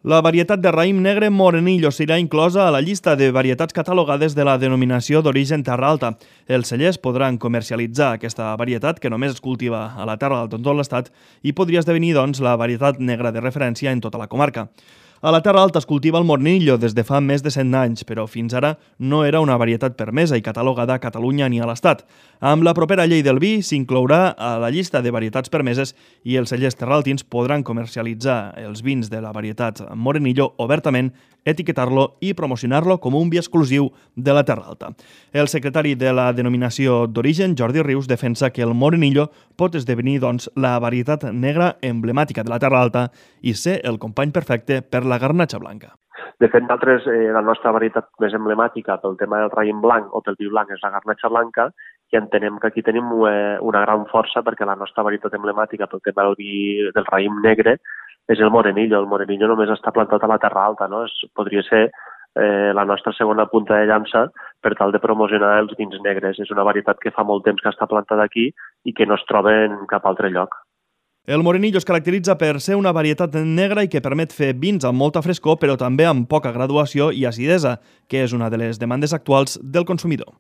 La varietat de raïm negre Morenillo serà inclosa a la llista de varietats catalogades de la denominació d'origen Terra Alta. Els cellers podran comercialitzar aquesta varietat, que només es cultiva a la Terra Alta en tot l'estat, i podria esdevenir, doncs, la varietat negra de referència en tota la comarca. A la Terra Alta es cultiva el Morenillo des de fa més de 100 anys, però fins ara no era una varietat permesa i catalogada a Catalunya ni a l'Estat. Amb la propera llei del vi s'inclourà a la llista de varietats permeses i els cellers terraltins podran comercialitzar els vins de la varietat Morenillo obertament, etiquetar-lo i promocionar-lo com un vi exclusiu de la Terra Alta. El secretari de la denominació d'origen, Jordi Rius, defensa que el Morenillo pot esdevenir, doncs, la varietat negra emblemàtica de la Terra Alta i ser el company perfecte per la garnatxa blanca. De fet, nosaltres, la nostra varietat més emblemàtica pel tema del raïm blanc o pel vi blanc és la garnatxa blanca, i entenem que aquí tenim una gran força perquè la nostra varietat emblemàtica pel tema del raïm negre és el Morenillo. El Morenillo només està plantat a la Terra Alta, no? Podria ser la nostra segona punta de llança per tal de promocionar els vins negres. És una varietat que fa molt temps que està plantada aquí i que no es troba en cap altre lloc. El Morenillo es caracteritza per ser una varietat negra i que permet fer vins amb molta frescor, però també amb poca graduació i acidesa, que és una de les demandes actuals del consumidor.